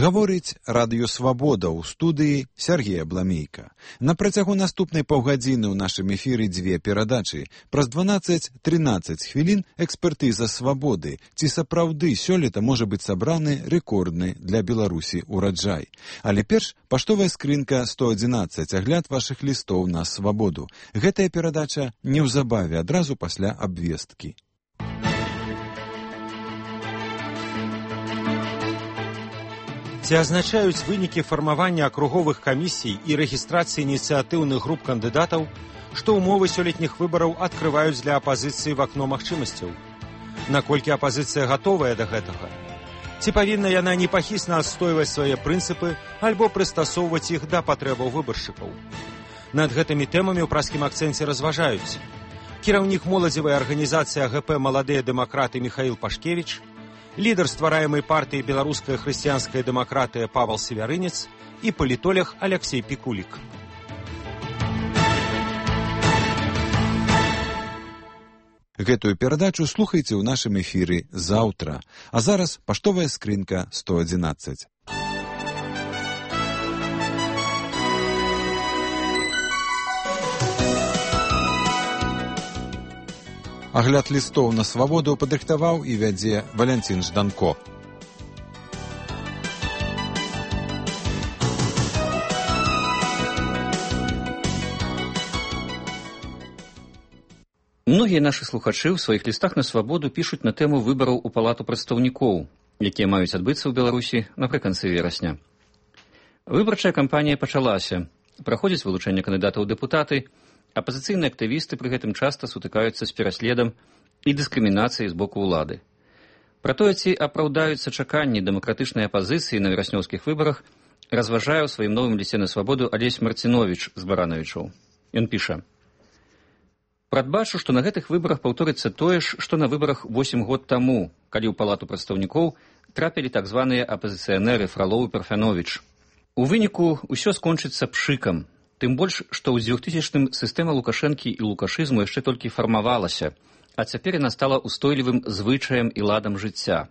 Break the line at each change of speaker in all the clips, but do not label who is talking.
Гаворыць радыё «Свабода» ў студыі Сергея Бламейка. На працягу наступнай паўгадзіны ў нашым эфіры дзве перадачы. Праз 12-13 хвілін экспертыза «Свабоды». Ці сапраўды сёлета можа быць сабраны рэкордны для Беларусі ураджай. Але перш паштовая скрынка 111, агляд вашых лістоў на «Свабоду». Гэтая перадача неўзабаве, адразу пасля абвесткі.
Ці азначаюць вынікі фармавання акруговых камісій і рэгістрацыі ініцыятыўных груп кандыдатаў, што ўмовы сёлетніх выбараў адкрываюць для апазіцыі в акно магчымасцяў? Наколькі апазіцыя гатовая да гэтага? Ці павінна яна непахісна адстойваць свае прынцыпы альбо прыстасоўваць іх да патрэбаў выбаршчыкаў? Над гэтымі тэмамі ў праскім акцэнце разважаюць кіраўнік моладзевай арганізацыі АГП «Маладыя дэмакраты» Михаил Пашкевич, лідар ствараемай партыі «Беларуская хрысціянская дэмакратыя» Павел Севярынец і палітолог Алексей Пікулік.
Гэтую перадачу слухайце ў нашым эфіры заўтра. А зараз паштовая скрынка 111. Агляд лістоў на «Свабоду» падрыхтаваў і вядзе Валянцін Жданко.
Многія нашы слухачы ў сваіх лістах на «Свабоду» пішуць на тэму выбараў у Палату прадстаўнікоў, якія маюць адбыцца ў Беларусі напрыканцы верасня. Выбарчая кампанія пачалася. Праходзіць вылучэнне кандыдатаў у дэпутаты. Апазіцыйныя актывісты пры гэтым часта сутыкаюцца з пераследам і дыскрымінацыяй з боку ўлады. Пра тое, ці апраўдаюцца чаканні дэмакратычнай апазіцыі на вераснёўскіх выбарах, разважае ў сваім новым лісце на «Свабоду» Алесь Марціновіч з Баранавічаў. Ён піша: «Прадбачу, што на гэтых выбарах паўторыцца тое ж, што на выбарах 8 год таму, калі ў Палату прадстаўнікоў трапілі так званыя апазіцыянеры Фралоў і Парфяновіч. У выніку ўсё скончыцца пшыкам. Тым больш, што ў 2000-м сістэма Лукашэнкі і лукашызму яшчэ толькі фармавалася, а цяпер яна стала устойлівым звычаем і ладам жыцця.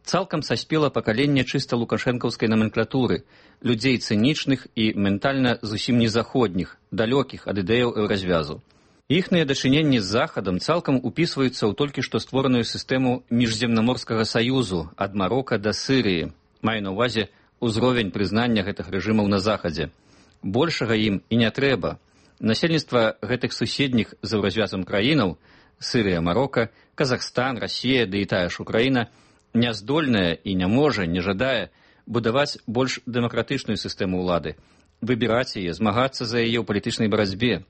Цалкам саспела пакаленне чыста лукашэнкаўскай номенклатуры, людзей цынічных і ментальна зусім не заходніх, далёкіх ад ідэяў еўразвязу. Іхныя дачыненні з Захадам цалкам упісваюцца ў толькі што створаную сістэму міжземнаморскага саюзу ад Марока да Сырыі, маю на ўвазе ўзровень прызнання гэтых рэжымаў на Захадзе. Большага ім і не трэба. Насельніцтва гэтых суседніх з еўразвязам краінаў — Сырыя, Марока, Казахстан, Расія, ды і тая ж Украіна — няздольная і не можа, не жадае будаваць больш дэмакратычную сістэму ўлады, выбіраць яе, змагацца за яе ў палітычнай барацьбе.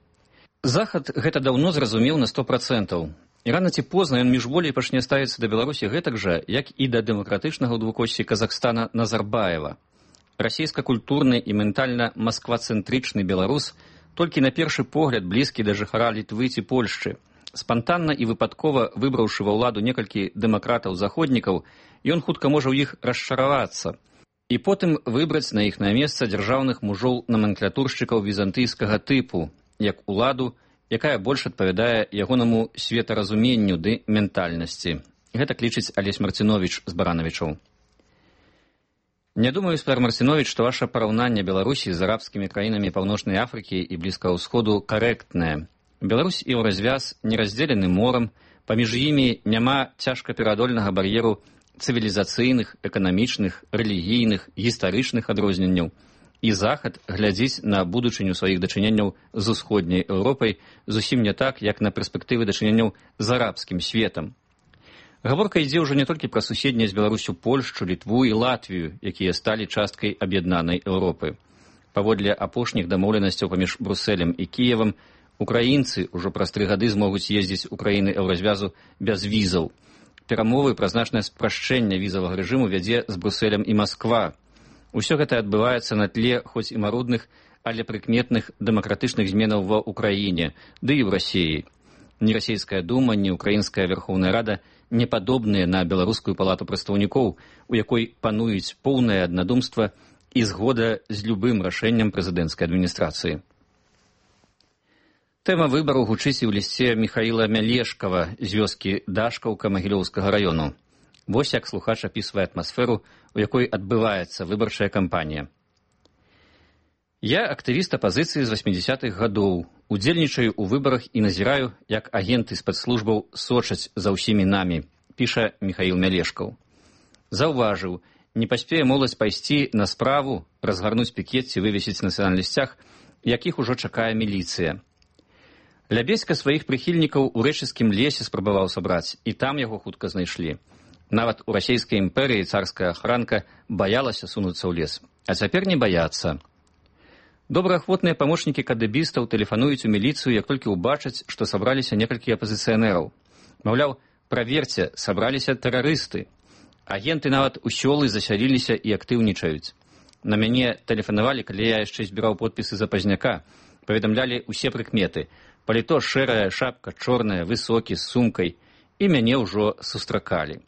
Захад гэта даўно зразумеў на 100%. І рана ці позна ён міжволей пачне ставіцца да Беларусі гэтак жа, як і да дэмакратычнага ў двукосці Казахстана Назарбаева. Расійска-культурны і ментальна масквацэнтрычны беларус, толькі на першы погляд блізкі да жыхара Літвы ці Польшчы. Спантанна і выпадкова выбраўшы ва ўладу некалькі дэмакратаў-заходнікаў, ён хутка можа ў іх расчаравацца. І потым выбраць на іх на месца дзяржаўных мужоў номенклатуршчыкаў візантыйскага тыпу, як уладу, якая больш адпавядае ягонаму светаразуменню ды ментальнасці. Гэтак лічыць Алесь Марціновіч з Баранавічаў. Не думаю, Спар Марціновіч, што ваша параўнанне Беларусі з арабскімі краінамі Паўночнай Афрыкі і Блізкага ўсходу карэктнае. Беларусь і еўразвяз не раздзелены морам, паміж імі няма цяжкапераадольнага бар'еру цывілізацыйных, эканамічных, рэлігійных, гістарычных адрозненняў. І Захад глядзіць на будучыню сваіх дачыненняў з усходняй Еўропай зусім не так, як на перспектывы дачыненняў з арабскім светам. Гаворка ідзе ўжо не толькі пра суседнія з Беларусю Польшчу, Літву і Латвію, якія сталі часткай аб'яднанай Еўропы. Паводле апошніх дамоўленасцяў паміж Брусэлем і Кіевам, украінцы ўжо праз 3 гады змогуць ездзіць у краіны еўразвязу без візаў. Перамовы пра значнае спрашчэнне візавага рэжыму вядзе з Брусэлем і Масква. Усё гэта адбываецца на тле хоць і марудных, але прыкметных дэмакратычных зменаў ва ўкраіне, ды і ў Расіі. Ні расійская дума, ні украінская Верхоўная Рада не падобныя на беларускую палату прадстаўнікоў, у якой пануюць поўнае аднадумства і згода з любым рашэннем прэзідэнцкай адміністрацыі. Тэма выбару гучыць і ў лісце Міхаіла Мялешкава з вёскі Дашкаўка Магілёўскага раёну. Вось як слухач апісвае атмасферу, у якой адбываецца выбарчая кампанія. Я актывіст апазіцыі з 80-х гадоў, удзельнічаю ў выбарах і назіраю, як агенты спецслужбаў сочаць за ўсімі намі, піша Михаил Мялешкаў. Заўважыў, не паспее моладзь пайсці на справу, разгарнуць пікет ці вывесіць на сацыяльных, якіх ужо чакае міліцыя. Лябедзька сваіх прыхільнікаў у рэчыцкім лесе спрабаваў сабраць, і там яго хутка знайшлі. Нават у расійскай імперыі царская ахранка баялася сунуцца ў лес, а цяпер не баяцца. Добраахвотныя памочнікі кадэбістаў тэлефануюць у міліцыю, як толькі ўбачаць, што сабраліся некалькі апазіцыянераў. Маўляў, праверце, сабраліся тэрарысты. Агенты нават у сёлы засяліліся і актыўнічаюць. На мяне тэлефанавалі, калі я яшчэ збіраў подпісы за пазняка, паведамлялі ўсе прыкметы. Паліто шэрая, шапка чорная, высокі, з сумкай, і мяне ўжо сустракалі.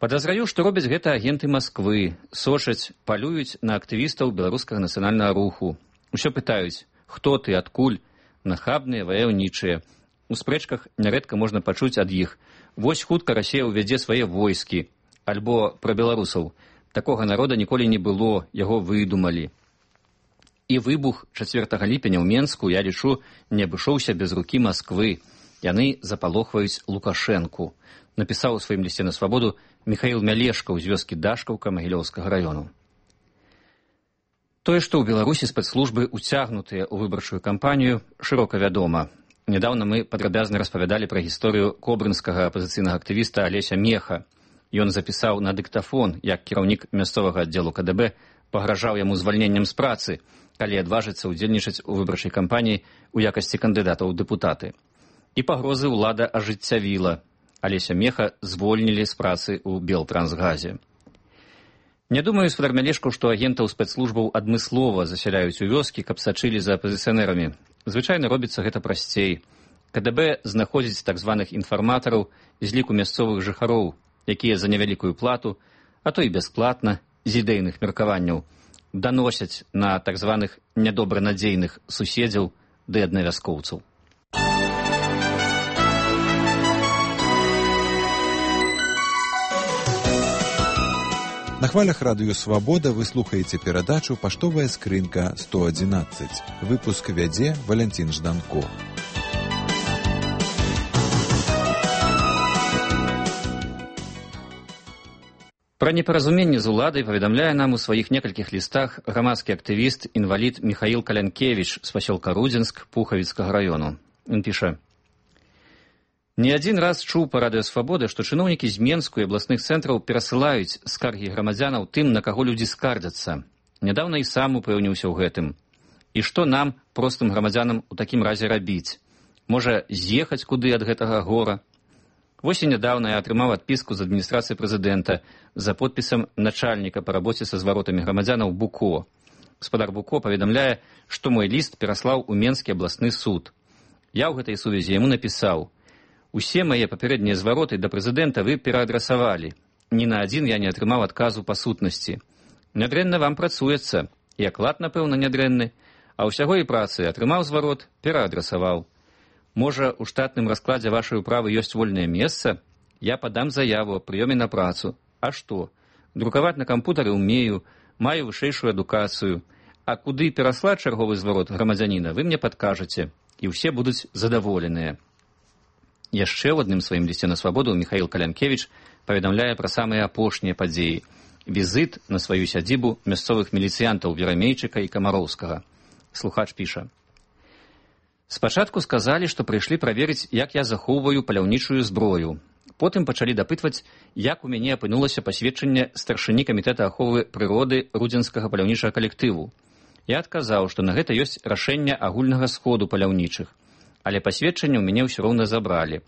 Падазраю, што робяць гэта агенты Масквы, сочаць, палююць на актывістаў беларускага нацыянальнага руху. Усё пытаюць, хто ты, адкуль, нахабныя, ваяўнічыя. У спрэчках нярэдка можна пачуць ад іх. Вось хутка Расія ўвядзе свае войскі. Альбо пра беларусаў. Такога народа ніколі не было, яго выдумалі. І выбух 4 ліпеня ў Менску, я лічу, не абышоўся без рукі Масквы. Яны запалохваюць Лукашэнку, напісаў у сваім лісце на свабоду Михаил Мялешкаў з вёскі Дашкаўка Магілёўскага раёну. Тое, што ў Беларусі спецслужбы уцягнутыя ў выбарчую кампанію, шырока вядома. Нядаўна мы падрабязна распавядалі пра гісторыю кобрынскага апазіцыйнага актывіста Алеся Меха. Ён запісаў на дыктафон, як кіраўнік мясцовага аддзелу КДБ пагражаў яму звальненнем з працы, калі адважыцца ўдзельнічаць у выбарчай кампаніі ў якасці кандыдата ў дэпутаты. І пагрозы ўлада ажыццявіла. Алеся Меха звольнілі з працы ў Белтрансгазе. Не думаю, спадар Мялешкаў, што агентаў спецслужбаў адмыслова засяляюць у вёскі, каб сачылі за апазіцыянерамі. Звычайна робіцца гэта прасцей. КДБ знаходзіць так званых інфарматараў з ліку мясцовых жыхароў, якія за невялікую плату, а то і бясплатна, з ідэйных меркаванняў, даносяць на так званых нядобранадзейных суседзяў ды аднавяскоўцаў.
На хвалях радыё «Свабода» вы слухаеце перадачу «Паштовая скрынка 111». Выпуск вядзе Валянцін Жданко.
Пра непаразуменне з уладай паведамляе нам у сваіх некалькіх лістах грамадскі актывіст, інвалід Михаил Калянкевіч з пасёлка Рудзінск Пухавіцкага раёну. Ён піша: «Не адзін раз чуў па радыё «Свабода», што чыноўнікі з Менску і абласных цэнтраў перасылаюць скаргі грамадзянаў тым, на каго людзі скардзяцца. Нядаўна і сам упэўніўся ў гэтым. І што нам, простым грамадзянам, у такім разе рабіць? Можа, з'ехаць куды ад гэтага гора? Вось і нядаўна я атрымаў адпіску з адміністрацыі прэзідэнта за подпісам начальніка па рабоце са зваротамі грамадзянаў Буко. Гаспадар Буко паведамляе, што мой ліст пераслаў у Менскі абласны суд. Я ў гэтай сувязі яму напісаў: усе мае папярэднія звароты да прэзідэнта вы пераадрасавалі. Ні на адзін я не атрымаў адказу па сутнасці. Нядрэнна вам працуецца, і аклад, напэўна, нядрэнны, а ўсяго і працы атрымаў зварот, пераадрасаваў. Можа, у штатным раскладзе вашай управы ёсць вольнае месца? Я падам заяву аб прыёме на працу. А што? Друкаваць на кампутары ўмею, маю вышэйшую адукацыю. А куды пераслаць чарговы зварот грамадзяніна, вы мне падкажаце, і ўсе будуць задаволеныя. Яшчэ ў адным сваім лісце на свабоду Михаил Калянкевіч паведамляе пра самыя апошнія падзеі. Візіт на сваю сядзібу мясцовых міліцыянтаў Верамейчыка і Камароўскага. Слухач піша: «Спачатку сказалі, што прыйшлі праверыць, як я захоўваю паляўнічую зброю. Потым пачалі дапытваць, як у мяне апынулася пасведчанне старшыні камітэта аховы прыроды рудзенскага паляўнічага калектыву. Я адказаў, што на гэта ёсць рашэнне агульнага сходу паляўнічых, але пасведчанне ў мяне ўсё роўна забралі.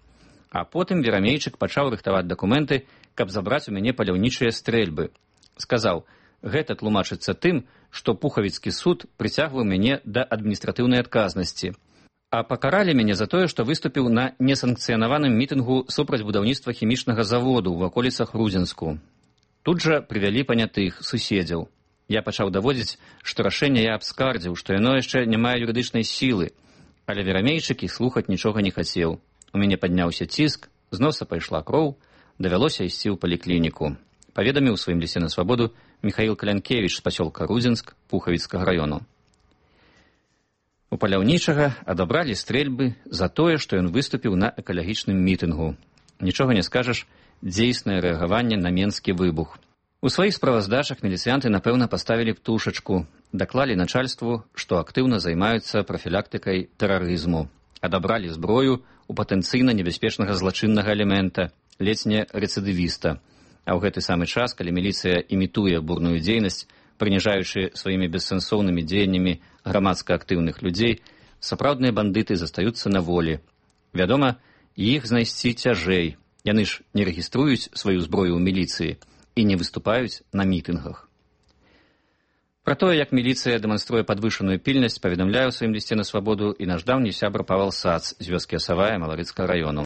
А потым Верамейчык пачаў рыхтаваць дакументы, каб забраць у мяне паляўнічыя стрэльбы. Сказаў, гэта тлумачыцца тым, што Пухавіцкі суд прыцягваў мяне да адміністратыўнай адказнасці. А пакаралі мяне за тое, што выступіў на несанкцыянаваным мітынгу супраць будаўніцтва хімічнага заводу ў ваколіцах Рудзінску. Тут жа прывялі панятых суседзяў. Я пачаў даводзіць, што рашэнне я абскардзіў, што яно яшчэ не мае юрыдычнай сілы. Але Верамейчык і слухаць нічога не хацеў. У мяне падняўся ціск, з носа пайшла кроў, давялося ісці ў паліклініку. Паведаміў у сваім лісце на свабоду Михаил Калянкевич з пасёлка Рудзінск Пухавіцкага раёну. У паляўнічага адабралі стрэльбы за тое, што ён выступіў на экалагічным мітынгу. Нічога не скажаш, дзейснае рэагаванне на менскі выбух. У сваіх справаздачах міліцыянты, напэўна, паставілі птушачку, даклалі начальству, што актыўна займаюцца прафілактыкай тэрарызму, адабралі зброю у патэнцыйна небяспечнага злачыннага элемента, ледзь не рэцыдывіста. А ў гэты самы час, калі міліцыя імітуе бурную дзейнасць, прыніжаючы сваімі бессэнсоўнымі дзеяннямі грамадска актыўных людзей, сапраўдныя бандыты застаюцца на волі. Вядома, іх знайсці цяжэй. Яны ж не рэгіструюць сваю зброю ў міліцыі і не выступаюць на мітынгах. Пра тое, як міліцыя дэманструе падвышаную пільнасць, паведамляе ў сваім лісце на свабоду і наш даўні сябра Павал Сац з вёскі Асавая Маларыцкага раёну.